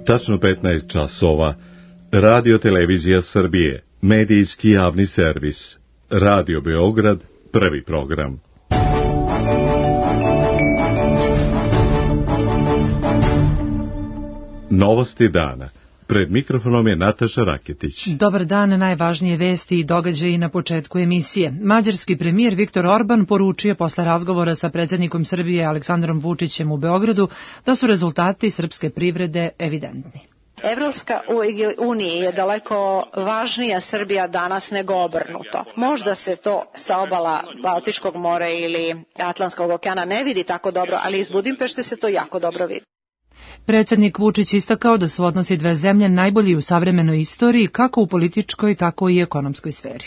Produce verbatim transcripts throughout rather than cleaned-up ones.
Tačno petnaest časova. Radio Televizija Srbije, medijski javni servis. Radio Beograd, prvi program. Novosti dana. Pred mikrofonom je Nataša Raketić. Dobar dan, najvažnije vesti i događaji na početku emisije. Mađarski premijer Viktor Orban poručio posle razgovora sa predsjednikom Srbije Aleksandrom Vučićem u Beogradu da su rezultati srpske privrede evidentni. Evropska unija je daleko važnija Srbija danas nego obrnuto. Možda se to sa obala Baltičkog mora ili Atlantskog okeana ne vidi tako dobro, ali iz Budimpešte se to jako dobro vidi. Predsjednik Vučić istakao da su odnosi dve zemlje najbolji u savremenoj istoriji, kako u političkoj, tako i ekonomskoj sferi.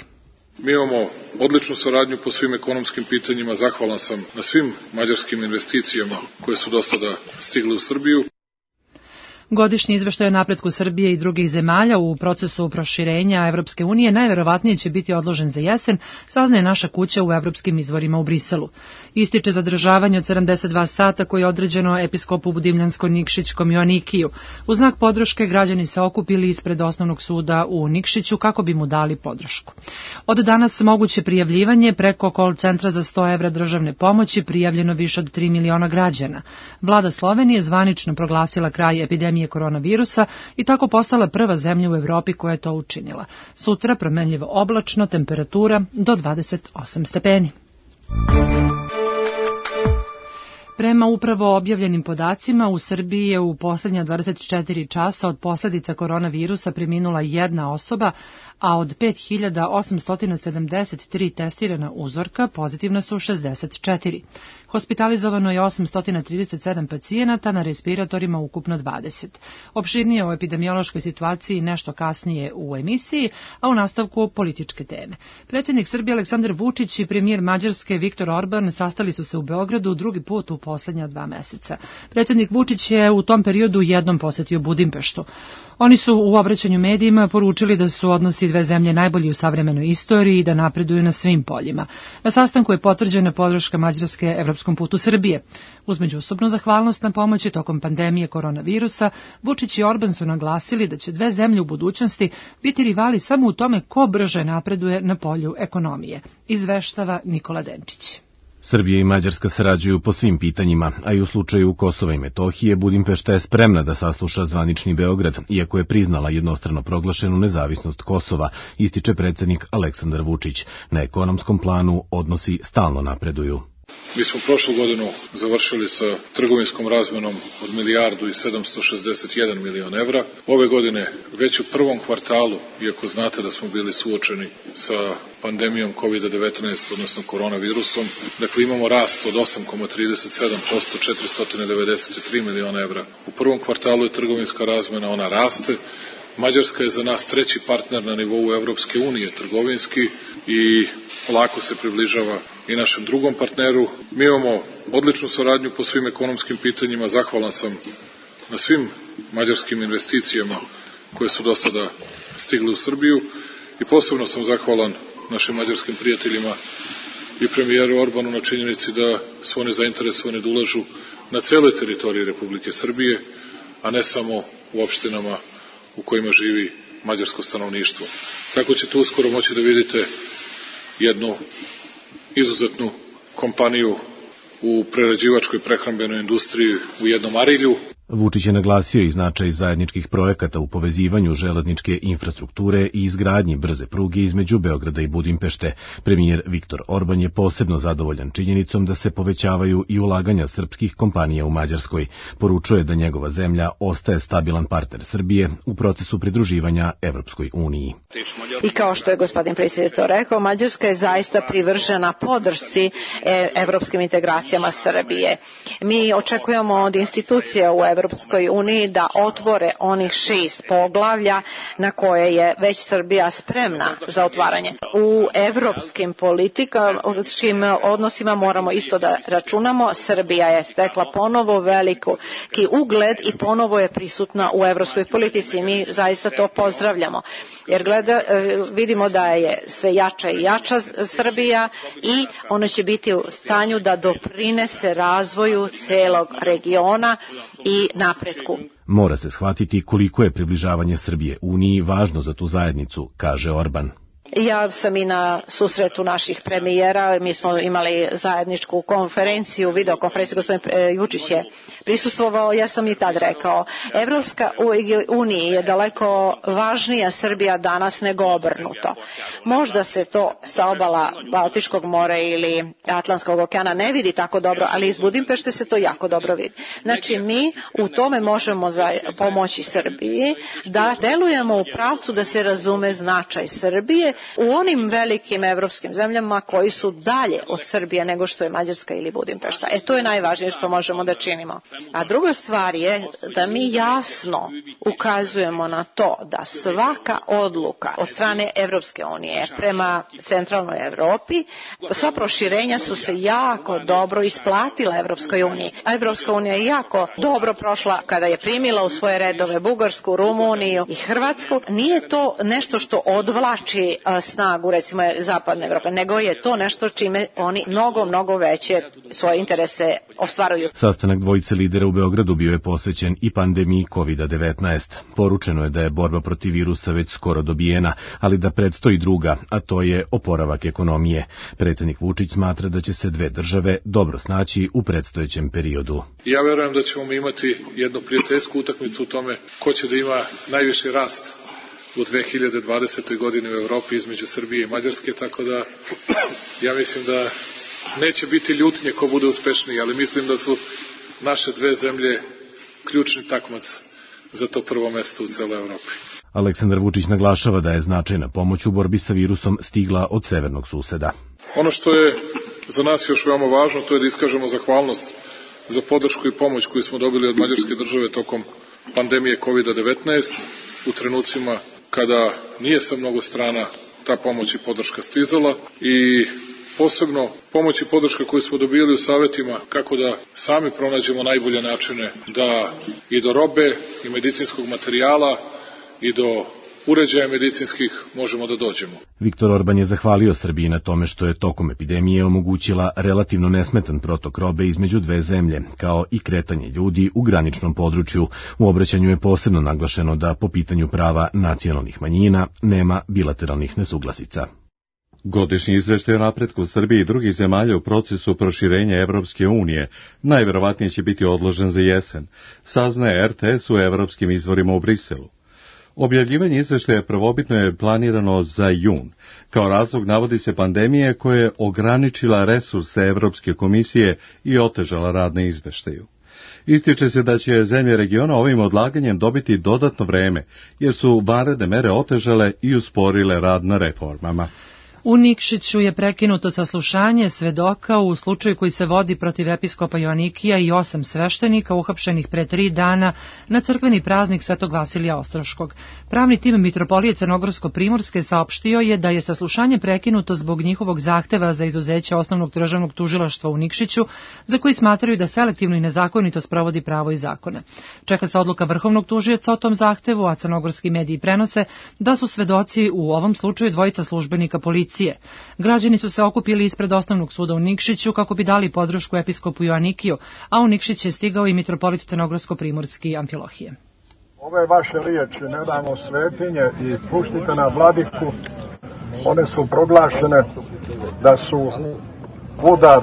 Mi imamo odličnu saradnju po svim ekonomskim pitanjima. Zahvalan sam na svim mađarskim investicijama koje su do sada stigle u Srbiju. Godišnji izveštaj o napretku Srbije i drugih zemalja u procesu proširenja Evropske unije najverovatnije će biti odložen za jesen, saznaje naša kuća u evropskim izvorima u Briselu. Ističe zadržavanje od sedamdeset dva sata koje je određeno episkopu Budimljansko-Nikšićkom Joanikiju. U znak podrške građani se okupili ispred osnovnog suda u Nikšiću kako bi mu dali podršku. Od danas moguće prijavljivanje preko call centra za sto evra državne pomoći, prijavljeno više od tri miliona građana. Vlada Slovenije zvanično proglasila kraj epidemije koronavirusa i tako postala prva zemlja u Evropi koja je to učinila. Sutra promenljivo oblačno, temperatura do dvadeset osam stepeni. Prema upravo objavljenim podacima, u Srbiji je u posljednja dvadeset četiri časa od posljedica koronavirusa preminula jedna osoba, a od pet hiljada osamsto sedamdeset tri testirana uzorka pozitivna su šezdeset četiri. Hospitalizovano je osamsto trideset sedam pacijenata, na respiratorima ukupno dvadeset. Opširnije o epidemiološkoj situaciji nešto kasnije u emisiji, a u nastavku političke teme. Predsjednik Srbije Aleksandar Vučić i premijer Mađarske Viktor Orban sastali su se u Beogradu drugi put u posljednja dva meseca. Predsjednik Vučić je u tom periodu jednom posjetio Budimpeštu. Oni su u obraćanju medijima poručili da su odnosi dve zemlje najbolji u savremenoj istoriji i da napreduju na svim poljima. Na sastanku je potvrđena podrška Mađarske evropskom putu Srbije. Uz međusobnu zahvalnost na pomoći tokom pandemije koronavirusa, Vučić i Orban su naglasili da će dve zemlje u budućnosti biti rivali samo u tome ko brže napreduje na polju ekonomije, izveštava Nikola Denčić. Srbija i Mađarska sarađuju po svim pitanjima, a i u slučaju Kosova i Metohije Budimpešta je spremna da sasluša zvanični Beograd, iako je priznala jednostrano proglašenu nezavisnost Kosova, ističe predsjednik Aleksandar Vučić. Na ekonomskom planu odnosi stalno napreduju. Mi smo prošlu godinu završili sa trgovinskom razmenom od milijardu i sedamsto šezdeset jedan milion evra. Ove godine, već u prvom kvartalu, iako znate da smo bili suočeni sa pandemijom kovid devetnaest, odnosno koronavirusom, dakle imamo rast od osam zarez trideset sedam posto, četiristo devedeset tri miliona evra. U prvom kvartalu je trgovinska razmena, ona raste. Mađarska je za nas treći partner na nivou Evropske unije trgovinski i polako se približava i našem drugom partneru. Mi imamo odličnu saradnju po svim ekonomskim pitanjima. Zahvalan sam na svim mađarskim investicijama koje su do sada stigle u Srbiju i posebno sam zahvalan našim mađarskim prijateljima i premijeru Orbanu na činjenici da su oni zainteresovani da ulažu na celoj teritoriji Republike Srbije, a ne samo u opštinama u kojima živi mađarsko stanovništvo. Tako ćete uskoro moći da vidite jednu izuzetnu kompaniju u prerađivačkoj prehrambenoj industriji u jednom Arilju. Vučić je naglasio i značaj zajedničkih projekata u povezivanju železničke infrastrukture i izgradnji brze pruge između Beograda i Budimpešte. Premijer Viktor Orban je posebno zadovoljan činjenicom da se povećavaju i ulaganja srpskih kompanija u Mađarskoj. Poručuje da njegova zemlja ostaje stabilan partner Srbije u procesu pridruživanja Evropskoj uniji. I kao što je gospodin predsjednik to rekao, Mađarska je zaista privržena podršci evropskim integracijama Srbije. Mi očekujemo od institucija u Evropskoj uniji da otvore onih šest poglavlja na koje je već Srbija spremna za otvaranje. U evropskim političkim odnosima moramo isto da računamo. Srbija je stekla ponovo veliki ugled i ponovo je prisutna u evropskoj politici. Mi zaista to pozdravljamo. Jer gleda, vidimo da je sve jača i jača Srbija i ona će biti u stanju da doprinese razvoju celog regiona i napretku. Mora se shvatiti koliko je približavanje Srbije Uniji važno za tu zajednicu, kaže Orban. Ja sam i na susretu naših premijera, mi smo imali zajedničku konferenciju, videokonferenciju, gospodin Vučić je prisustvovao, ja sam i tad rekao, Evropska unija je daleko važnija Srbija danas nego obrnuto. Možda se to sa obala Baltičkog mora ili Atlantskog okeana ne vidi tako dobro, ali iz Budimpešte se to jako dobro vidi. Znači mi u tome možemo pomoći Srbiji da delujemo u pravcu da se razume značaj Srbije u onim velikim evropskim zemljama koji su dalje od Srbije nego što je Mađarska ili Budimpešta. E to je najvažnije što možemo da činimo. A druga stvar je da mi jasno ukazujemo na to da svaka odluka od strane Evropske unije prema centralnoj Evropi, sva proširenja su se jako dobro isplatila Evropskoj uniji. A Evropska unija je jako dobro prošla kada je primila u svoje redove Bugarsku, Rumuniju i Hrvatsku. Nije to nešto što odvlači snagu recimo zapadne Evrope, nego je to nešto čime oni mnogo, mnogo veće svoje interese ostvaruju. Sastanak dvojice lidera u Beogradu bio je posvećen i pandemiji kovid devetnaest. Poručeno je da je borba protiv virusa već skoro dobijena, ali da predstoji druga, a to je oporavak ekonomije. Predsjednik Vučić smatra da će se dve države dobro snaći u predstojećem periodu. Ja verujem da ćemo imati jednu prijateljsku utakmicu u tome ko će da ima najviši rast u dve hiljade dvadesetoj godini u Evropi između Srbije i Mađarske, tako da ja mislim da neće biti ljutnje ko bude uspešniji, ali mislim da su naše dve zemlje ključni takmac za to prvo mesto u celoj Evropi. Aleksandar Vučić naglašava da je značajna pomoć u borbi sa virusom stigla od severnog suseda. Ono što je za nas još veoma važno, to je da iskažemo zahvalnost za podršku i pomoć koju smo dobili od Mađarske države tokom pandemije kovid devetnaest u trenucima kada nije sa mnogo strana ta pomoć i podrška stizala i posebno pomoć i podrška koju smo dobili u savjetima kako da sami pronađemo najbolje načine da i do robe i medicinskog materijala i do uređaja medicinskih možemo da dođemo. Viktor Orban je zahvalio Srbiji na tome što je tokom epidemije omogućila relativno nesmetan protok robe između dve zemlje, kao i kretanje ljudi u graničnom području. U obraćanju je posebno naglašeno da po pitanju prava nacionalnih manjina nema bilateralnih nesuglasica. Godišnji izveštaj o napretku Srbije i drugih zemalja u procesu proširenja Evropske unije najverovatnije će biti odložen za jesen, saznaje er te es u evropskim izvorima u Briselu. Objavljivanje izveštaja prvobitno je planirano za jun. Kao razlog navodi se pandemije koja je ograničila resurse Evropske komisije i otežala rad na izveštaju. Ističe se da će zemlje regiona ovim odlaganjem dobiti dodatno vreme, jer su vanredne mere otežale i usporile rad na reformama. U Nikšiću je prekinuto saslušanje svedoka u slučaju koji se vodi protiv episkopa Joanikija i osam sveštenika uhapšenih pre tri dana na crkveni praznik Svetog Vasilija Ostroškog. Pravni tim Mitropolije Crnogorsko-Primorske saopštio je da je saslušanje prekinuto zbog njihovog zahteva za izuzeće osnovnog državnog tužilaštva u Nikšiću, za koji smatraju da selektivno i nezakonito sprovodi pravo i zakone. Čeka se odluka vrhovnog tužioca o tom zahtevu, a crnogorski mediji prenose da su svedoci u ovom slučaju dvojica službenika policije. Građani su se okupili ispred osnovnog suda u Nikšiću kako bi dali podršku episkopu Joanikiju, a u Nikšić je stigao i mitropolit Crnogorsko-Primorski Amfilohije. Ove vaše riječi, ne damo svetinje i puštite na vladiku, one su proglašene da su udar,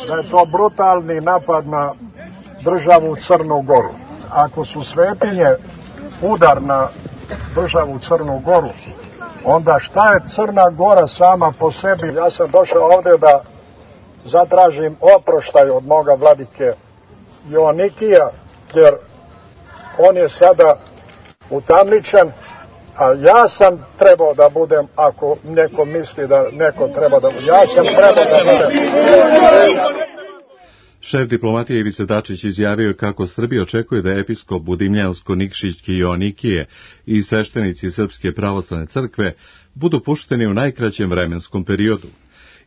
da je to brutalni napad na državu Crnu Goru. Ako su svetinje udar na državu Crnu Goru, onda šta je Crna Gora sama po sebi? Ja sam došao ovdje da zatražim oproštaj od moga vladike Joanikija, jer on je sada utamničen, a ja sam trebao da budem, ako neko misli da neko treba da budem, ja sam trebao da budem. Šef diplomatije Ivica Dačić izjavio kako Srbija očekuje da episkop Budimljansko-Nikšićki Joanikije i sveštenici Srpske pravoslavne crkve budu pušteni u najkraćem vremenskom periodu.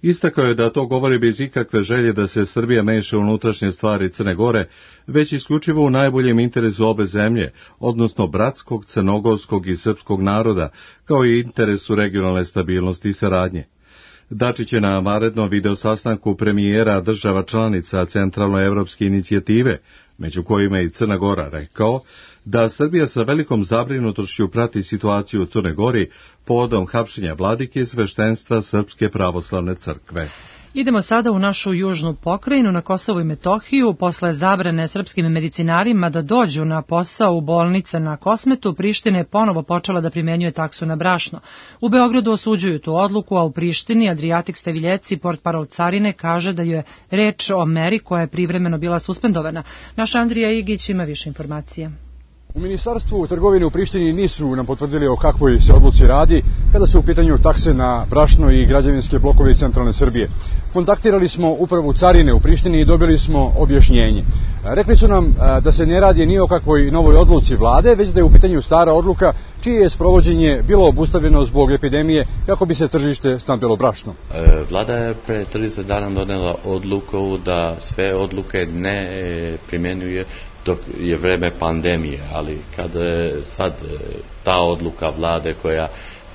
Istakao je da to govori bez ikakve želje da se Srbija meša u unutrašnje stvari Crne Gore, već isključivo u najboljem interesu obe zemlje, odnosno bratskog, crnogorskog i srpskog naroda, kao i interesu regionalne stabilnosti i saradnje. Dačić je na vanrednom video sastanku premijera država članica Centralnoevropske inicijative, među kojima je i Crna Gora, rekao da Srbija sa velikom zabrinutošću prati situaciju u Crnoj Gori povodom hapšenja vladike sveštenstva Srpske pravoslavne crkve. Idemo sada u našu južnu pokrajinu, na Kosovu i Metohiju. Posle zabrane srpskim medicinarima da dođu na posao u bolnice na Kosmetu, Priština je ponovo počela da primenjuje taksu na brašno. U Beogradu osuđuju tu odluku, a u Prištini Adriatik Steviljeci, portparol carine, kaže da je reč o meri koja je privremeno bila suspendovana. Naš Andrija Igić ima više informacija. U Ministarstvu trgovine u Prištini nisu nam potvrdili o kakvoj se odluci radi kada su u pitanju takse na brašno i građevinske blokove iz centralne Srbije. Kontaktirali smo upravu carine u Prištini i dobili smo objašnjenje. Rekli su nam da se ne radi ni o kakvoj novoj odluci vlade, već da je u pitanju stara odluka čije je sprovođenje bilo obustavljeno zbog epidemije kako bi se tržište snabdjelo brašno. Vlada je pre trideset dana donela odluku da sve odluke ne primjenjuje dok je vreme pandemije, ali kada je sad ta odluka vlade koja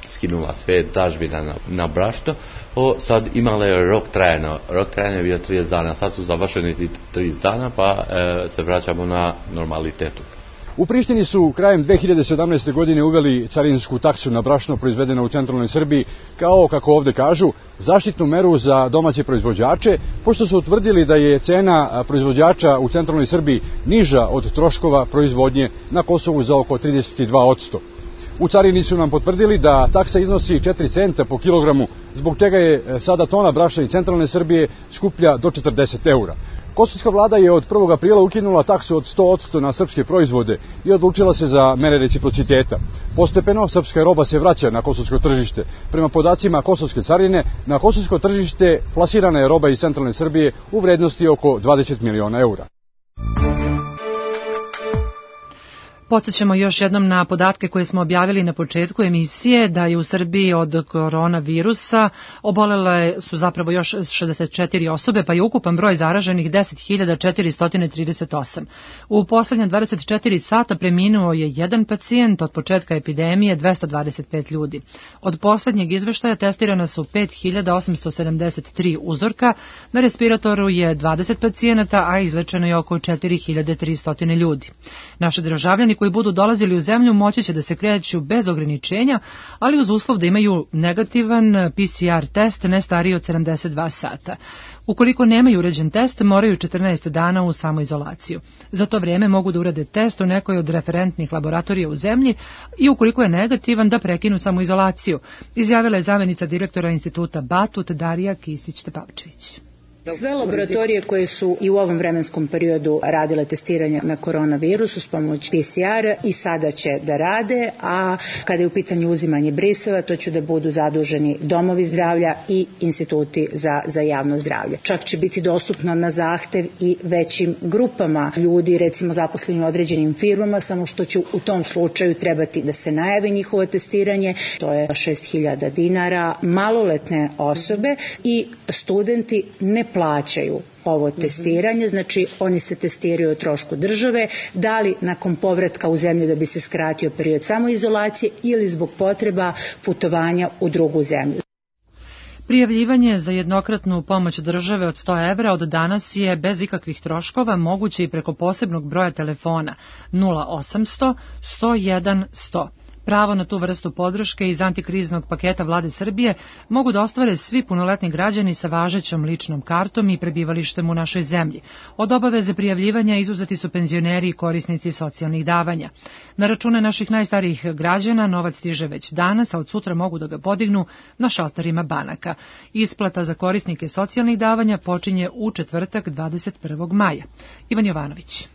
skinula sve dažbine na, na brašno, o, sad imala je rok trajanja. Rok trajanja je bio trideset dana, sad su završeni trideset dana, pa e, se vraćamo na normalitetu. U Prištini su krajem dve hiljade sedamnaeste. godine uveli carinsku taksu na brašno proizvedeno u centralnoj Srbiji, kao, kako ovde kažu, zaštitnu meru za domaće proizvođače, pošto su utvrdili da je cena proizvođača u centralnoj Srbiji niža od troškova proizvodnje na Kosovu za oko trideset dva posto. U carini su nam potvrdili da taksa iznosi četiri centa po kilogramu, zbog čega je sada tona brašna iz centralne Srbije skuplja do četrdeset eura. Kosovska vlada je od prvog aprila ukinula taksu od sto posto na srpske proizvode i odlučila se za mere reciprociteta. Postepeno srpska roba se vraća na kosovsko tržište. Prema podacima kosovske carine, na kosovsko tržište plasirana je roba iz centralne Srbije u vrednosti oko dvadeset miliona eura. Podsjećamo još jednom na podatke koje smo objavili na početku emisije, da je u Srbiji od koronavirusa obolele su zapravo još šezdeset četiri osobe, pa je ukupan broj zaraženih deset hiljada četiristo trideset osam. U poslednja dvadeset četiri sata preminuo je jedan pacijent, od početka epidemije dvesta dvadeset pet ljudi. Od poslednjeg izveštaja testirana su pet hiljada osamsto sedamdeset tri uzorka, na respiratoru je dvadeset pacijenata, a izlečeno je oko četiri hiljade tristo ljudi. Naši državljani koji budu dolazili u zemlju moći će da se kreću bez ograničenja, ali uz uslov da imaju negativan P C R test ne stariji od sedamdeset dva sata. Ukoliko nemaju uređen test, moraju četrnaest dana u samoizolaciju. Za to vrijeme mogu da urade test u nekoj od referentnih laboratorija u zemlji i ukoliko je negativan da prekinu samoizolaciju, izjavila je zamjenica direktora instituta Batut Darija Kisić-Tepavčević. Sve laboratorije koje su i u ovom vremenskom periodu radile testiranje na koronavirus uz pomoć P C R i sada će da rade, a kada je u pitanju uzimanje briseva, to će da budu zaduženi domovi zdravlja i instituti za, za javno zdravlje. Čak će biti dostupno na zahtev i većim grupama ljudi, recimo zaposleni u određenim firmama, samo što će u tom slučaju trebati da se najavi njihovo testiranje, to je šest hiljada dinara, maloletne osobe i studenti ne plaćaju ovo testiranje, znači oni se testiraju o trošku države, da li nakon povratka u zemlju da bi se skratio period samoizolacije ili zbog potreba putovanja u drugu zemlju. Prijavljivanje za jednokratnu pomoć države od sto evra od danas je bez ikakvih troškova moguće i preko posebnog broja telefona nula osamsto sto jedan sto. Pravo na tu vrstu podrške iz antikriznog paketa vlade Srbije mogu da ostvare svi punoletni građani sa važećom ličnom kartom i prebivalištem u našoj zemlji. Od obaveze prijavljivanja izuzeti su penzioneri i korisnici socijalnih davanja. Na račune naših najstarijih građana novac stiže već danas, a od sutra mogu da ga podignu na šalterima banaka. Isplata za korisnike socijalnih davanja počinje u četvrtak dvadeset prvog maja. Ivan Jovanović.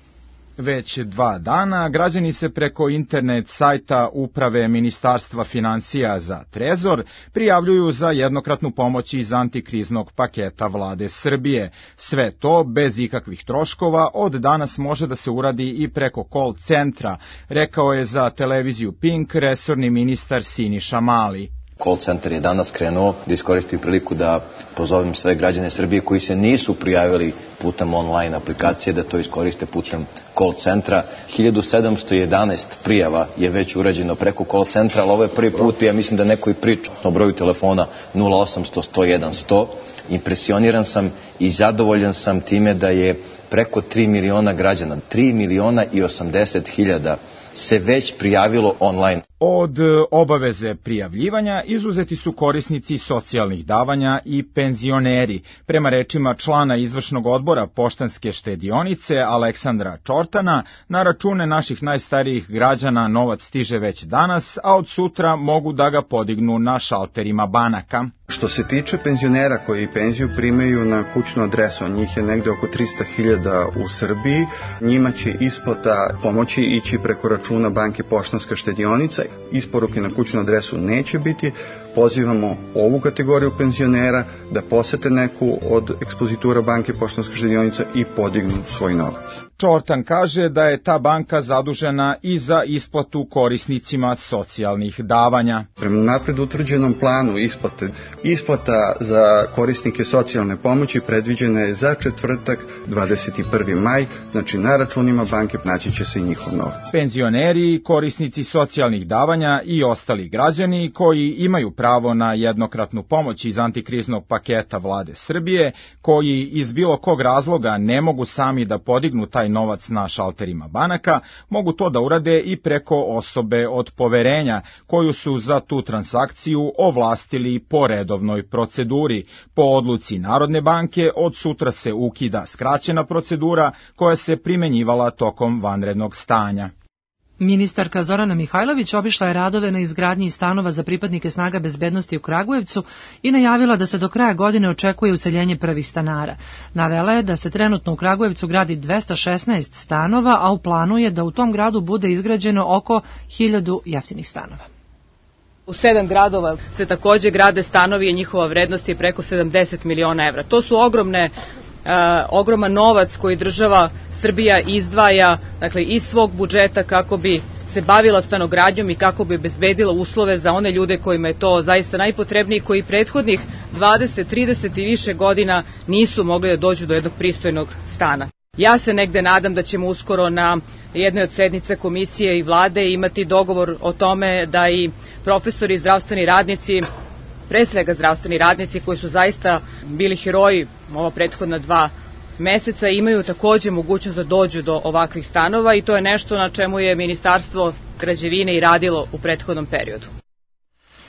Već dva dana građani se preko internet sajta Uprave Ministarstva finansija za Trezor prijavljuju za jednokratnu pomoć iz antikriznog paketa Vlade Srbije. Sve to bez ikakvih troškova od danas može da se uradi i preko call centra, rekao je za televiziju Pink resorni ministar Siniša Mali. Call centar je danas krenuo, da iskoristim priliku da pozovem sve građane Srbije koji se nisu prijavili putem online aplikacije, da to iskoriste putem call centra. hiljadu sedamsto jedanaest prijava je već urađeno preko call centra, ali ovo je prvi put i ja mislim da neko i priča o broju telefona nula osamsto sto jedan sto. Impresioniran sam i zadovoljan sam time da je preko tri miliona građana, tri miliona i osamdeset hiljada se već prijavilo online. Od obaveze prijavljivanja izuzeti su korisnici socijalnih davanja i penzioneri. Prema rečima člana izvršnog odbora Poštanske štedionice Aleksandra Čortana, na račune naših najstarijih građana novac stiže već danas, a od sutra mogu da ga podignu na šalterima banaka. Što se tiče penzionera koji penziju primaju na kućnu adresu, njih je negde oko trista hiljada u Srbiji, njima će isplata pomoći ići preko računa banke Poštanska štedionica. Isporuke na kućnu adresu neće biti. Pozivamo ovu kategoriju penzionera da posete neku od ekspozitura banke Poštanska štedionica i podignu svoj novac. Čortan kaže da je ta banka zadužena i za isplatu korisnicima socijalnih davanja. Prema napred utvrđenom planu isplate, isplata za korisnike socijalne pomoći predviđena je za četvrtak dvadeset prvi maj, znači na računima banke naći će se i njihov novac. Penzioneri, korisnici socijalnih davanja i ostali građani koji imaju pravo na jednokratnu pomoć iz antikriznog paketa Vlade Srbije, koji iz bilo kog razloga ne mogu sami da podignu taj novac na šalterima banaka, mogu to da urade i preko osobe od poverenja, koju su za tu transakciju ovlastili po redovnoj proceduri. Po odluci Narodne banke od sutra se ukida skraćena procedura koja se primenjivala tokom vanrednog stanja. Ministarka Zorana Mihajlović obišla je radove na izgradnji stanova za pripadnike snaga bezbednosti u Kragujevcu i najavila da se do kraja godine očekuje useljenje prvih stanara. Navela je da se trenutno u Kragujevcu gradi dvesta šesnaest stanova, a u planu je da u tom gradu bude izgrađeno oko hiljadu jeftinih stanova. U sedam gradova se takođe grade stanovi i njihova vrednost je preko sedamdeset miliona evra. To su ogromne, uh, ogroman novac koji država Srbija izdvaja, dakle, iz svog budžeta kako bi se bavila stanogradnjom i kako bi obezbedila uslove za one ljude kojima je to zaista najpotrebnije, koji prethodnih dvadeset, trideset i više godina nisu mogli da dođu do jednog pristojnog stana. Ja se negde nadam da ćemo uskoro na jednoj od sednica komisije i vlade imati dogovor o tome da i profesori i zdravstveni radnici, pre svega zdravstveni radnici koji su zaista bili heroji ova prethodna dva meseca, imaju takođe mogućnost da dođu do ovakvih stanova i to je nešto na čemu je Ministarstvo građevine i radilo u prethodnom periodu.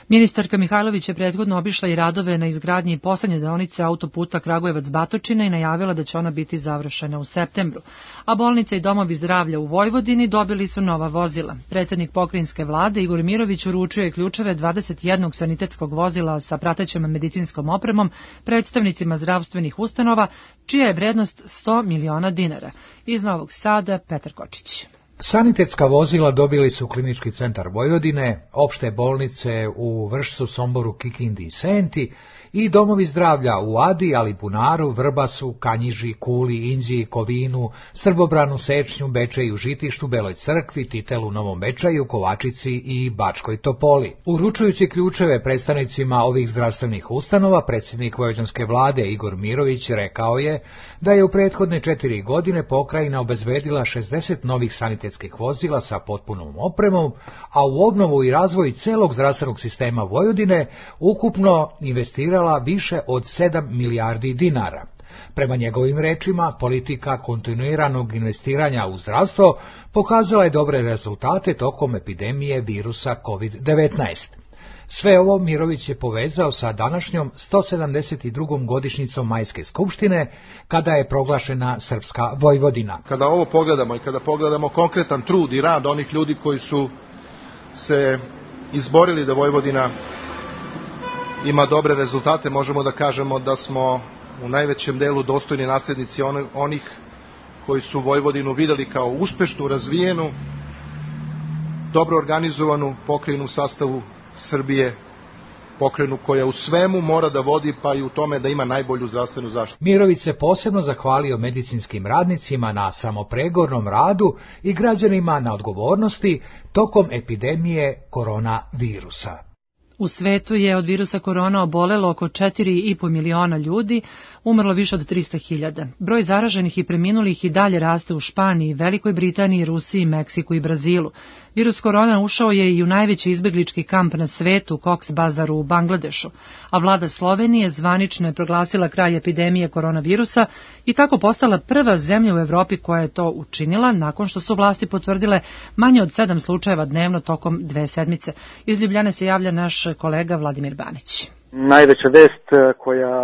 Ministarka Mihajlović je prethodno obišla i radove na izgradnji poslednje deonice autoputa Kragujevac-Batočina i najavila da će ona biti završena u septembru. A bolnice i domovi zdravlja u Vojvodini dobili su nova vozila. Predsednik pokrajinske vlade Igor Mirović uručio je ključeve dvadeset jednog sanitetskog vozila sa pratećom medicinskom opremom predstavnicima zdravstvenih ustanova, čija je vrednost sto miliona dinara. Iz Novog Sada, Petar Kočić. Sanitetska vozila dobili su Klinički centar Vojvodine, opšte bolnice u Vršcu, Somboru, Kikindi i Senti i domovi zdravlja u Adi, Alibunaru, Vrbasu, Kanjiži, Kuli, Inđiji, Kovinu, Srbobranu, Sečnju, Bečeju, Žitištu, Beloj Crkvi, Titelu, Novom Bečaju, Kovačici i Bačkoj Topoli. Uručujući ključeve predstavnicima ovih zdravstvenih ustanova, predsjednik vojvođanske vlade Igor Mirović rekao je da je u prethodne četiri godine pokrajina obezbedila šezdeset novih sanitetskih vozila sa potpunom opremom, a u obnovu i razvoj celog zdravstvenog sistema Vojvodine ukupno investirala više od sedam milijardi dinara. Prema njegovim rečima, politika kontinuiranog investiranja u zdravstvo pokazala je dobre rezultate tokom epidemije virusa kovid devetnaest. Sve ovo Mirović je povezao sa današnjom sto sedamdeset drugom godišnjicom Majske skupštine, kada je proglašena Srpska Vojvodina. Kada ovo pogledamo i kada pogledamo konkretan trud i rad onih ljudi koji su se izborili da Vojvodina ima dobre rezultate, možemo da kažemo da smo u najvećem delu dostojni naslednici onih koji su Vojvodinu videli kao uspešnu, razvijenu, dobro organizovanu pokrajinu u sastavu Srbije, pokrajinu koja u svemu mora da vodi, pa i u tome da ima najbolju zdravstvenu zaštitu. Mirović se posebno zahvalio medicinskim radnicima na samopregornom radu i građanima na odgovornosti tokom epidemije koronavirusa. U svetu je od virusa korona obolelo oko četiri i po miliona ljudi, umrlo više od trista hiljada. Broj zaraženih i preminulih i dalje raste u Španiji, Velikoj Britaniji, Rusiji, Meksiku i Brazilu. Virus korona ušao je i u najveći izbeglički kamp na svetu, Cox Bazar u Bangladešu, a vlada Slovenije zvanično je proglasila kraj epidemije koronavirusa i tako postala prva zemlja u Evropi koja je to učinila nakon što su vlasti potvrdile manje od sedam slučajeva dnevno tokom dve sedmice. Iz Ljubljane se javlja naš kolega Vladimir Banić. Najveća vest koja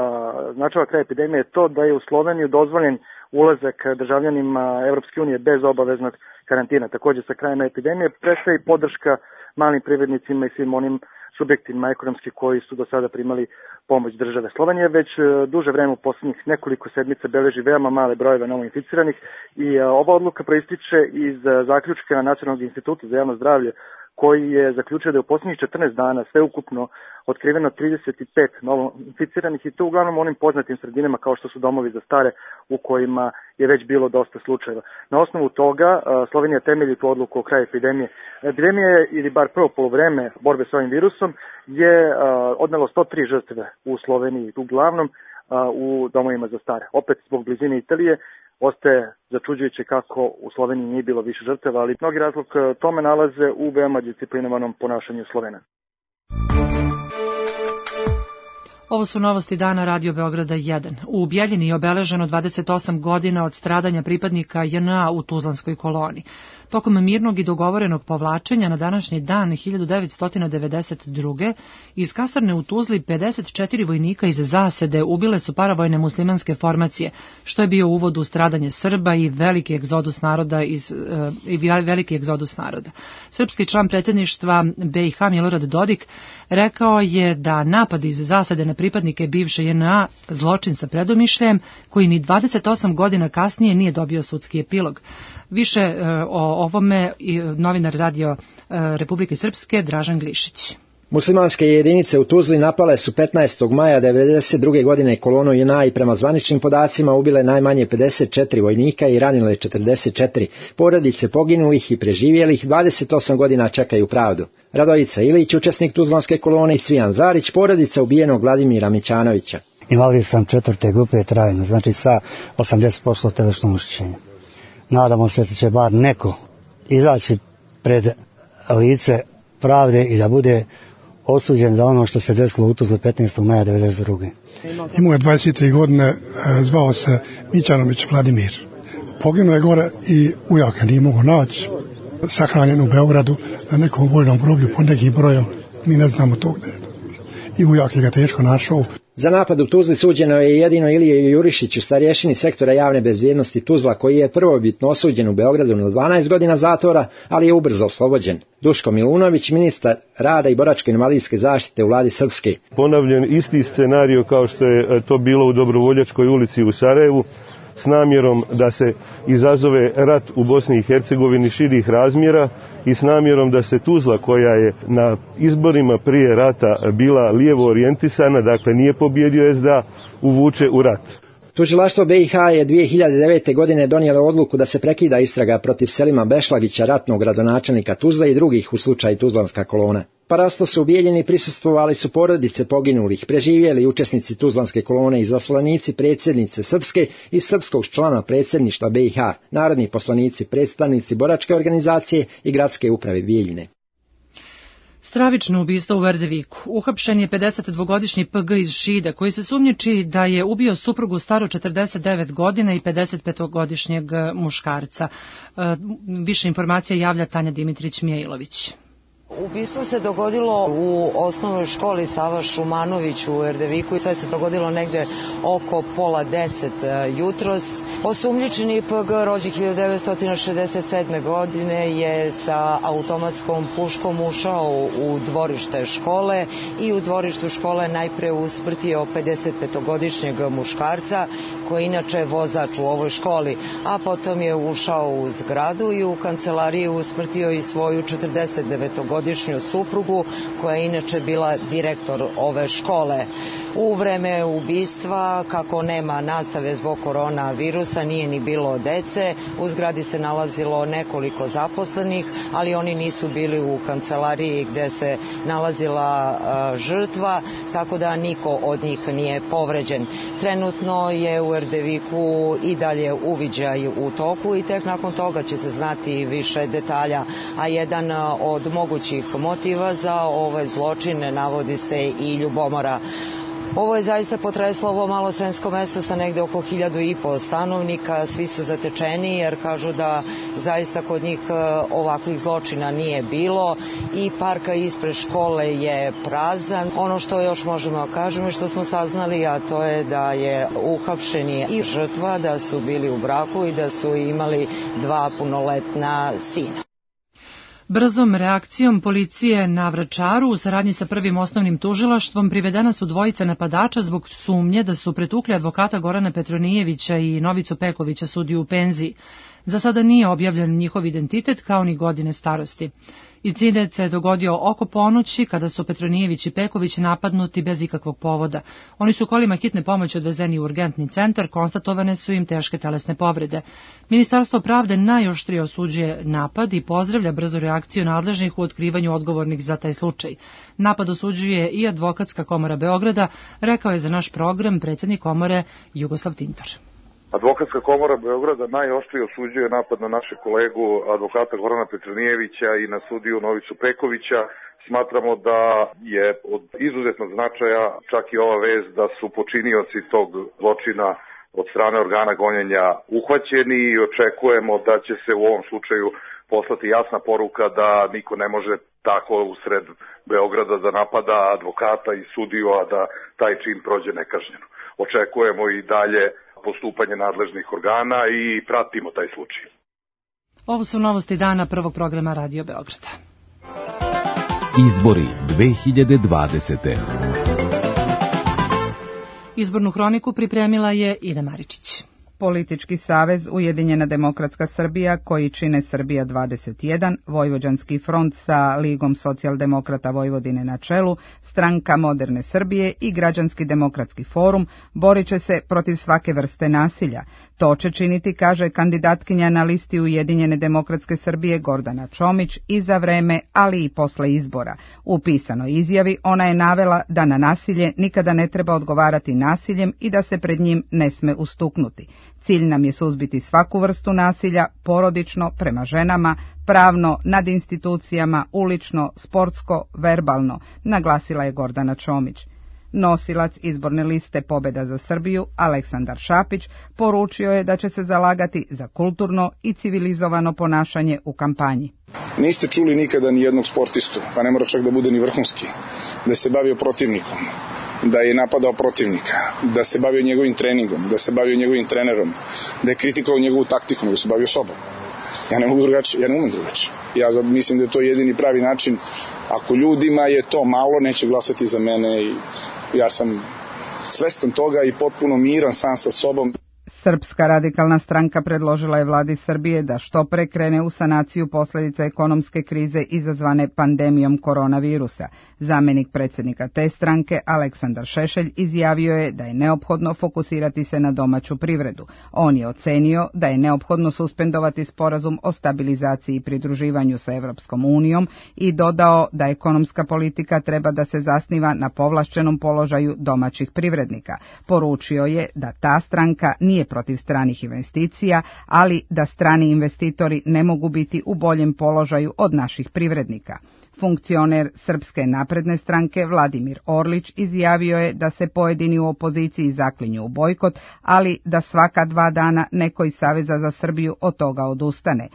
značava kraj epidemije je to da je u Sloveniju dozvoljen ulazak državljanima Evropske unije bez obaveznog karantina. Također sa krajem epidemije prestaje podrška malim privrednicima i svim onim subjektima ekonomski koji su do sada primali pomoć države. Slovenija već duže vreme u posljednjih nekoliko sedmica beleži veoma male brojeve novoinficiranih i ova odluka proističe iz zaključka Nacionalnog instituta za javno zdravlje koji je zaključio da je u posljednjih četrnaest dana sveukupno otkriveno trideset pet novoinficiranih i to uglavnom u onim poznatim sredinama kao što su domovi za stare u kojima je već bilo dosta slučajeva. Na osnovu toga Slovenija temelji tu odluku o kraju epidemije. Epidemija je, ili bar prvo poluvreme borbe s ovim virusom, je odnelo sto tri žrtve u Sloveniji, uglavnom u domovima za stare. Opet zbog blizine Italije ostaje začuđujuće kako u Sloveniji nije bilo više žrtava, ali mnogi razlog tome nalaze u veoma disciplinovanom ponašanju Slovena. Ovo su novosti dana Radio Beograda jedan. U Bjeljini je obeleženo dvadeset osam godina od stradanja pripadnika J N A u Tuzlanskoj koloni. Tokom mirnog i dogovorenog povlačenja na današnji dan hiljadu devetsto devedeset druge iz kasarne u Tuzli pedeset četiri vojnika iz zasede ubile su paravojne muslimanske formacije, što je bio uvod u stradanje Srba i veliki egzodus naroda iz i veliki egzodus naroda. Srpski član predsjedništva B i H Milorad Dodik rekao je da napad iz zasede na pripadnike bivše J N A zločin sa predomišljajem koji ni dvadeset osam godina kasnije nije dobio sudski epilog. Više e, o ovome i novinar Radio e, Republike Srpske Dražan Glišić. Muslimanske jedinice u Tuzli napale su petnaestog maja devedeset druge godine kolonu J N A i prema zvaničnim podacima ubile najmanje pedeset četiri vojnika i ranile četrdeset četiri. Porodice poginulih i preživjelih dvadeset osam godina čekaju pravdu. Radojica Ilić, učesnik Tuzlanske kolone, i Svijan Zarić, porodica ubijenog Vladimira Mićanovića. Invalid sam četvrte grupe trajno, znači sa osamdeset posto telesnog oštećenja. Nadamo se da će bar neko izaći pred lice pravde i da bude osuđen za ono što se desilo u Tuzli petnaestog maja devedeset druge. Imao je dvadeset tri godine, zvao se Mićanović Vladimir. Poginuo je gore i ujaka nije mogo naći, sahranjen u Beogradu na nekom vojnom groblju pod nekim brojem, mi ne znamo to gde je. I ujak je ga teško našao. Za napad u Tuzli suđeno je jedino Ilije Jurišiću, starješini sektora javne bezbjednosti Tuzla, koji je prvobitno osuđen u Beogradu na dvanaest godina zatvora, ali je ubrzo oslobođen. Duško Milunović, ministar rada i boračko-invalidske zaštite u vladi Srpske. Ponavljen isti scenario kao što je to bilo u Dobrovoljačkoj ulici u Sarajevu, s namjerom da se izazove rat u Bosni i Hercegovini širih razmjera i s namjerom da se Tuzla, koja je na izborima prije rata bila lijevo orijentisana, dakle nije pobjedio S D A, uvuče u rat. Tužilaštvo B i H je dvije hiljade devete. godine donijelo odluku da se prekida istraga protiv Selima Bešlagića, ratnog gradonačelnika Tuzle, i drugih u slučaju Tuzlanska kolona. Parasto su u Bijeljini prisustvovali su porodice poginulih, preživjeli učesnici Tuzlanske kolone i zaslanici predsjednice Srpske i srpskog člana predsjedništva B i H, narodni poslanici, predstavnici boračke organizacije i gradske uprave Bijeljine. Stravično ubistvo u Verdeviku. Uhapšen je pedesetdvogodišnji P G iz Šida, koji se sumnjiči da je ubio suprugu staru četrdeset devet godina i pedesetpetogodišnjeg muškarca. Više informacija javlja Tanja Dimitrić Mijailović. Ubistvo se dogodilo u osnovnoj školi Sava Šumanović u Erdeviku i sve se dogodilo negde oko pola deset jutros. Osumnjičeni P G, rođen hiljadu devetsto šezdeset sedme. godine, je sa automatskom puškom ušao u dvorište škole i u dvorištu škole najpre usmrtio pedesetpetogodišnjeg muškarca koji inače je vozač u ovoj školi, a potom je ušao u zgradu i u kancelariji usmrtio i svoju četrdesetdevetogodišnju suprugu koja je inače bila direktor ove škole. U vreme ubistva, kako nema nastave zbog koronavirusa, nije ni bilo dece, u zgradi se nalazilo nekoliko zaposlenih, ali oni nisu bili u kancelariji gde se nalazila uh, žrtva, tako da niko od njih nije povređen. Trenutno je u Erdeviku i dalje uviđaj u toku i tek nakon toga će se znati više detalja, a jedan od mogućih motiva za ovaj zločin navodi se i ljubomora. Ovo je zaista potreslo ovo malo sremsko mesto sa negde oko hiljadu i po stanovnika, svi su zatečeni jer kažu da zaista kod njih ovakvih zločina nije bilo i parka ispred škole je prazan. Ono što još možemo da kažemo i što smo saznali, a to je da je uhapšeni i žrtva, da su bili u braku i da su imali dva punoletna sina. Brzom reakcijom policije na Vračaru u saradnji sa prvim osnovnim tužilaštvom privedena su dvojica napadača zbog sumnje da su pretukli advokata Gorana Petronijevića i Novicu Pekovića, sudiju u penziji. Za sada nije objavljen njihov identitet kao ni godine starosti. Incident se dogodio oko ponoći kada su Petronijević i Peković napadnuti bez ikakvog povoda. Oni su kolima hitne pomoći odvezeni u urgentni centar, konstatovane su im teške telesne povrede. Ministarstvo pravde najoštrije osuđuje napad i pozdravlja brzu reakciju nadležnih u otkrivanju odgovornih za taj slučaj. Napad osuđuje i Advokatska komora Beograda, rekao je za naš program predsjednik komore Jugoslav Tintor. Advokatska komora Beograda najoštrije osuđuje napad na naše kolegu advokata Gorana Petronijevića i na sudiju Novicu Pekovića. Smatramo da je od izuzetnog značaja čak i ova vez da su počinioci tog zločina od strane organa gonjenja uhvaćeni i očekujemo da će se u ovom slučaju poslati jasna poruka da niko ne može tako usred Beograda da napada advokata i sudiju, a da taj čin prođe nekažnjeno. Očekujemo i dalje postupanje nadležnih organa i pratimo taj slučaj. Ovo su novosti dana prvog programa Radio Beograda. Izbori dve hiljade dvadesete. Izbornu hroniku pripremila je Ida Maričić. Politički savez Ujedinjena demokratska Srbija, koji čine Srbija dvadeset jedan, Vojvođanski front sa Ligom socijaldemokrata Vojvodine na čelu, Stranka moderne Srbije i Građanski demokratski forum borit će se protiv svake vrste nasilja. To će činiti, kaže kandidatkinja na listi Ujedinjene demokratske Srbije Gordana Čomić, i za vreme, ali i posle izbora. U pisanoj izjavi ona je navela da na nasilje nikada ne treba odgovarati nasiljem i da se pred njim ne sme ustuknuti. Cilj nam je suzbiti svaku vrstu nasilja, porodično, prema ženama, pravno, nad institucijama, ulično, sportsko, verbalno, naglasila je Gordana Čomić. Nosilac izborne liste Pobeda za Srbiju, Aleksandar Šapić, poručio je da će se zalagati za kulturno i civilizovano ponašanje u kampanji. Niste čuli nikada ni jednog sportistu, pa ne mora čak da bude ni vrhunski, da se bavio protivnikom, da je napadao protivnika, da se bavio njegovim treningom, da se bavio njegovim trenerom, da je kritikovao njegovu taktiku, da se bavio sobom. Ja ne mogu drugačije, ja ne umem drugačije. Ja sad mislim da je to jedini pravi način. Ako ljudima je to malo, neće glasati za mene i ja sam svestan toga i potpuno miran sam sa sobom. Srpska radikalna stranka predložila je vladi Srbije da što pre krene u sanaciju posljedica ekonomske krize izazvane pandemijom koronavirusa. Zamenik predsjednika te stranke, Aleksandar Šešelj, izjavio je da je neophodno fokusirati se na domaću privredu. On je ocenio da je neophodno suspendovati sporazum o stabilizaciji i pridruživanju sa Evropskom unijom i dodao da ekonomska politika treba da se zasniva na povlašćenom položaju domaćih privrednika. Poručio je da ta stranka nije protiv stranih investicija, ali da strani investitori ne mogu biti u boljem položaju od naših privrednika. Funkcioner Srpske napredne stranke Vladimir Orlić izjavio je da se pojedini u opoziciji zaklinju u bojkot, ali da svaka dva dana neko iz Saveza za Srbiju od toga odustane.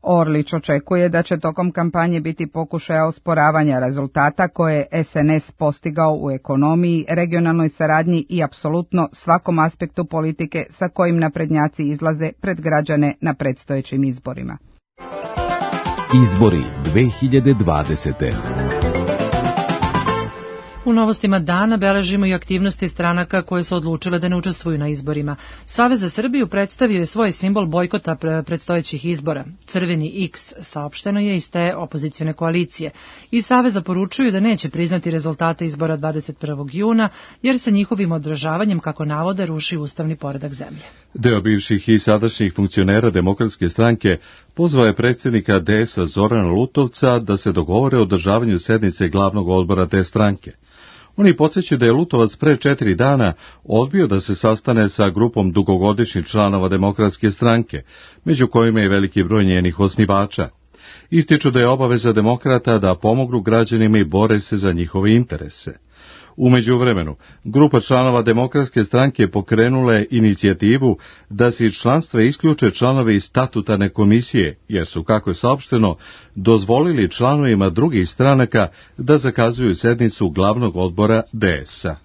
Orlić očekuje da će tokom kampanje biti pokušaja osporavanja rezultata koje je S N S postigao u ekonomiji, regionalnoj saradnji i apsolutno svakom aspektu politike sa kojim naprednjaci izlaze pred građane na predstojećim izborima. Izbori dve hiljade dvadesete. U novostima dana beležimo i aktivnosti stranaka koje su odlučile da ne učestvuju na izborima. Savez za Srbiju predstavio je svoj simbol bojkota predstojećih izbora. Crveni X saopšteno je iz te opozicione koalicije. I Saveza poručuju da neće priznati rezultate izbora dvadeset prvog juna, jer se njihovim odražavanjem, kako navode, ruši ustavni poredak zemlje. Deo bivših i sadašnjih funkcionera Demokratske stranke pozvao je predsjednika D S A Zorana Lutovca da se dogovore o održavanju sednice glavnog odbora te stranke. Oni podsjećaju da je Lutovac pre četiri dana odbio da se sastane sa grupom dugogodišnjih članova Demokratske stranke, među kojima je veliki broj njenih osnivača. Ističu da je obaveza demokrata da pomognu građanima i bore se za njihove interese. U međuvremenu, grupa članova Demokratske stranke pokrenule inicijativu da se iz članstva isključe članovi statutarne komisije, jer su, kako je saopšteno, dozvolili članovima drugih stranaka da zakazuju sednicu glavnog odbora D S A.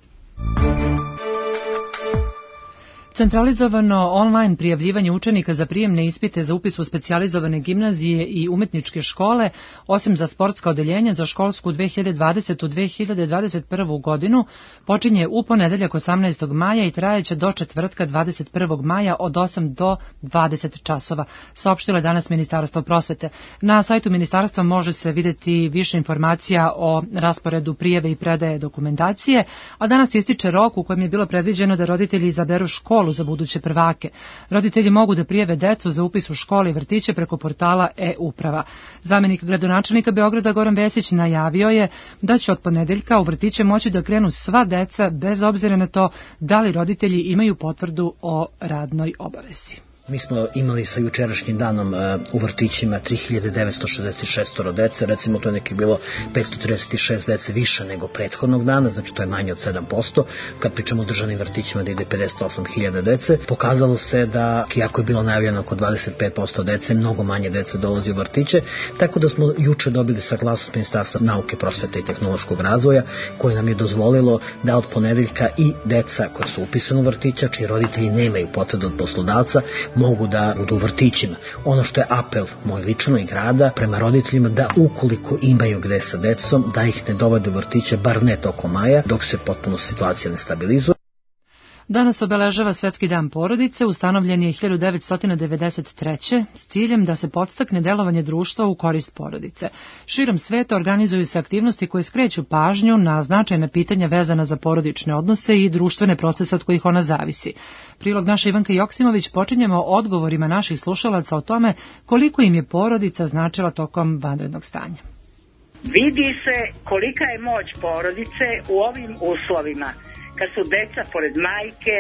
Centralizovano online prijavljivanje učenika za prijemne ispite za upis u specijalizovane gimnazije i umetničke škole, osim za sportska odeljenja za školsku dve hiljade dvadesete do dve hiljade dvadeset prve. godinu, počinje u ponedeljak osamnaestog maja i trajeće do četvrtka dvadeset prvog maja od osam do dvadeset časova, saopštilo je danas Ministarstvo prosvete. Na sajtu ministarstva može se vidjeti više informacija o rasporedu prijave i predaje dokumentacije, a danas ističe rok u kojem je bilo predviđeno da roditelji izaberu školu za buduće prvake. Roditelji mogu da prijave decu za upis u škole i vrtiće preko portala e-uprava. Zamenik gradonačelnika Beograda Goran Vesić najavio je da će od ponedeljka u vrtiće moći da krenu sva deca bez obzira na to da li roditelji imaju potvrdu o radnoj obavezi. Mi smo imali sa jučerašnjim danom u vrtićima tri hiljade devetsto šezdeset šest dece, recimo to je neki bilo petsto trideset šest dece više nego prethodnog dana, znači to je manje od sedam posto, kad pričamo o državnim vrtićima da ide pedeset osam hiljada dece. Pokazalo se da, iako je bilo najavljeno oko dvadeset pet posto dece, mnogo manje dece dolazi u vrtiće, tako da smo juče dobili saglasnost Ministarstva nauke, prosvete i tehnološkog razvoja, koje nam je dozvolilo da od ponedeljka i deca koja su upisana u vrtića, čiji roditelji nemaju potvrdu od poslodavca, mogu da budu u vrtićima. Ono što je apel moj lično i grada prema roditeljima da ukoliko imaju gde sa decom, da ih ne dovode u vrtiće, bar ne tokom maja, dok se potpuno situacija ne stabilizuje. Danas obeležava Svetski dan porodice, ustanovljen je hiljadu devetsto devedeset treće. s ciljem da se podstakne delovanje društva u korist porodice. Širom sveta organizuju se aktivnosti koje skreću pažnju na značajna pitanja vezana za porodične odnose i društvene procese od kojih ona zavisi. Prilog naša Ivanka Joksimović počinjemo odgovorima naših slušalaca o tome koliko im je porodica značila tokom vanrednog stanja. Vidi se kolika je moć porodice u ovim uslovima, kad su deca pored majke,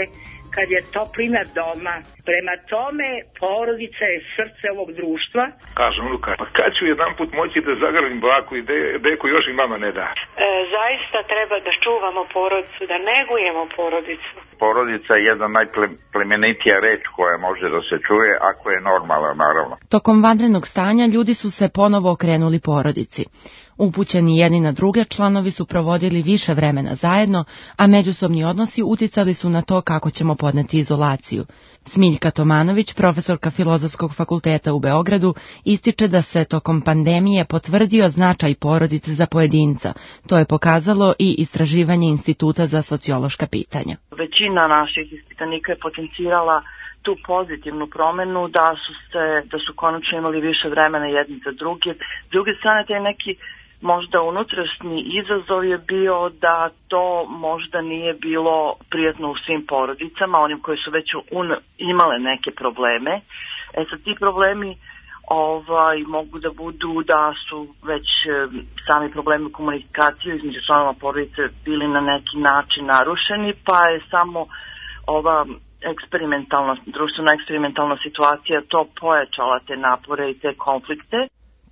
kad je toplina doma. Prema tome, porodica je srce ovog društva. Kažem, Luka, pa kad ću jedan put moći da zagrlim baku i de, deku još i mama ne da? E, zaista treba da čuvamo porodicu, da negujemo porodicu. Porodica je jedna najplemenitija reč koja može da se čuje, ako je normalna, naravno. Tokom vanrednog stanja ljudi su se ponovo okrenuli porodici. Upućeni jedni na druge, članovi su provodili više vremena zajedno, a međusobni odnosi uticali su na to kako ćemo podneti izolaciju. Smiljka Tomanović, profesorka Filozofskog fakulteta u Beogradu, ističe da se tokom pandemije potvrdio značaj porodice za pojedinca. To je pokazalo i istraživanje Instituta za sociološka pitanja. Većina naših ispitanika je potencirala tu pozitivnu promenu, da su se, da su konačno imali više vremena jedni za druge. S druge strane, taj neki možda unutrašnji izazov je bio da to možda nije bilo prijatno u svim porodicama, onim koji su već un, imale neke probleme. E sad ti problemi ovaj, mogu da budu da su već sami problemi komunikacije između članova porodice bili na neki način narušeni, pa je samo ova eksperimentalna, društvena eksperimentalna situacija to pojačala te napore i te konflikte.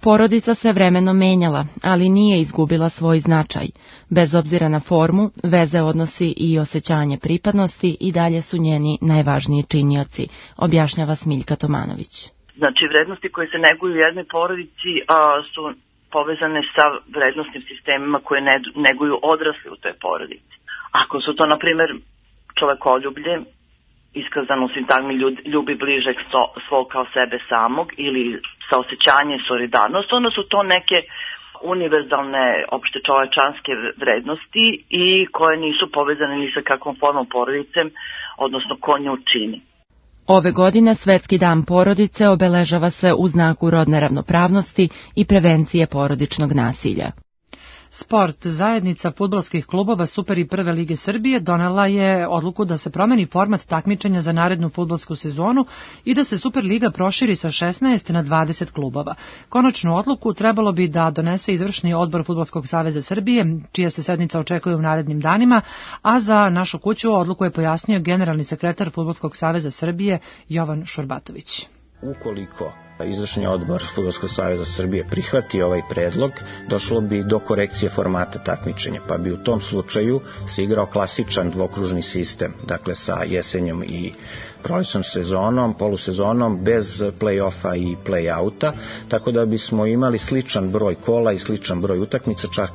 Porodica se vremenom menjala, ali nije izgubila svoj značaj. Bez obzira na formu, veze, odnosi i osjećanje pripadnosti i dalje su njeni najvažniji činioci, objašnjava Smiljka Tomanović. Znači, vrednosti koje se neguju u jednoj porodici a, su povezane sa vrednostnim sistemima koje ne, neguju odrasli u toj porodici. Ako su to, na primjer, čovekoljublje, iskazano u sintagmi ljubi bližeg svog kao sebe samog ili saosećanje i solidarnost, onda su to neke univerzalne opšte čovečanske vrednosti i koje nisu povezane ni sa kakvom formom porodice, odnosno ko nju čini. Ove godine Svetski dan porodice obeležava se u znaku rodne ravnopravnosti i prevencije porodičnog nasilja. Sport, zajednica fudbalskih klubova Super i Prve lige Srbije donela je odluku da se promeni format takmičenja za narednu fudbalsku sezonu i da se Super liga proširi sa šesnaest na dvadeset klubova. Konačnu odluku trebalo bi da donese izvršni odbor Fudbalskog saveza Srbije, čija se sednica očekuje u narednim danima, a za našu kuću odluku je pojasnio generalni sekretar Fudbalskog saveza Srbije Jovan Šurbatović. Ukoliko izvršni odbor Fudbalskog saveza Srbije prihvati ovaj predlog, došlo bi do korekcije formata takmičenja, pa bi u tom slučaju se igrao klasičan dvokružni sistem, dakle sa jesenjom i prolećnom sezonom, polusezonom, bez play-offa i play-outa, tako da bismo imali sličan broj kola i sličan broj utakmica, čak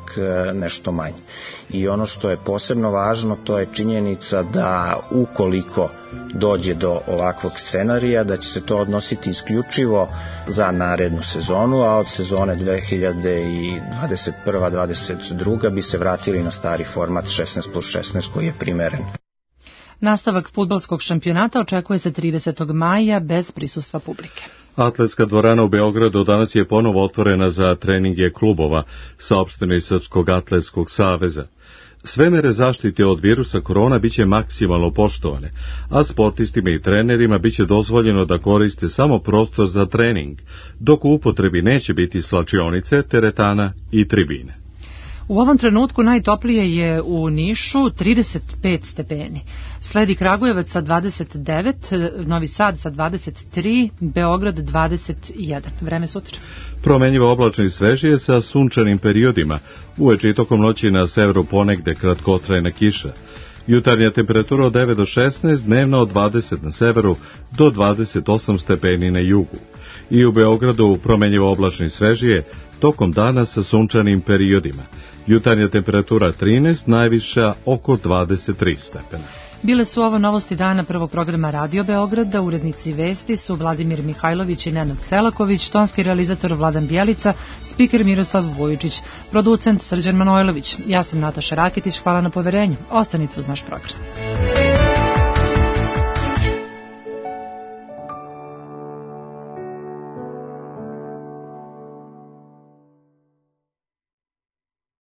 nešto manje. I ono što je posebno važno, to je činjenica da ukoliko dođe do ovakvog scenarija, da će se to odnositi isključivo za narednu sezonu, a od sezone dve hiljade dvadeset prve dvadeset druge bi se vratili na stari format šesnaest plus šesnaest koji je primeren. Nastavak fudbalskog šampionata očekuje se tridesetog maja bez prisustva publike. Atletska dvorana u Beogradu danas je ponovo otvorena za treninge klubova, saopšteno iz Srpskog atletskog saveza. Sve mere zaštite od virusa korona biće maksimalno poštovane, a sportistima i trenerima biće dozvoljeno da koriste samo prostor za trening, dok u upotrebi neće biti slačionice, teretana i tribine. U ovom trenutku najtoplije je u Nišu trideset pet stepeni. Sledi Kragujevac sa dvadeset devet, Novi Sad sa dvadeset tri, Beograd dvadeset jedan. Vreme sutra. Promenjivo oblačno i svežije sa sunčanim periodima. Uveče i tokom noći na severu ponegde kratkotrajna kiša. Jutarnja temperatura od devet do šesnaest, dnevna od dvadeset na severu do dvadeset osam stepeni na jugu. I u Beogradu promenjivo oblačno i svežije, tokom dana sa sunčanim periodima. Jutarnja temperatura trinaest, najviša oko dvadeset tri stepena. Bile su ovo novosti dana prvog programa Radio Beograda. Urednici vesti su Vladimir Mihajlović i Nenad Selaković, tonski realizator Vladan Bjelica, spiker Miroslav Vujičić, producent Srđan Manojlović. Ja sam Nataša Rakitić, hvala na poverenju. Ostanite uz naš program.